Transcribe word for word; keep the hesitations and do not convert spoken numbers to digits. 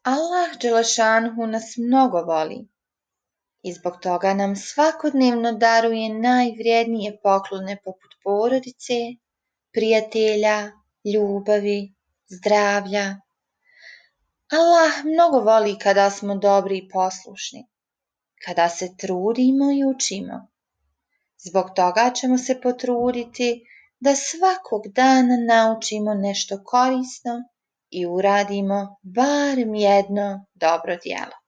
Allah Đelešanhu nas mnogo voli i zbog toga nam svakodnevno daruje najvrijednije poklone poput porodice, prijatelja, ljubavi, zdravlja. Allah mnogo voli kada smo dobri i poslušni, kada se trudimo i učimo. Zbog toga ćemo se potruditi da svakog dana naučimo nešto korisno i uradimo barem jedno dobro djelo.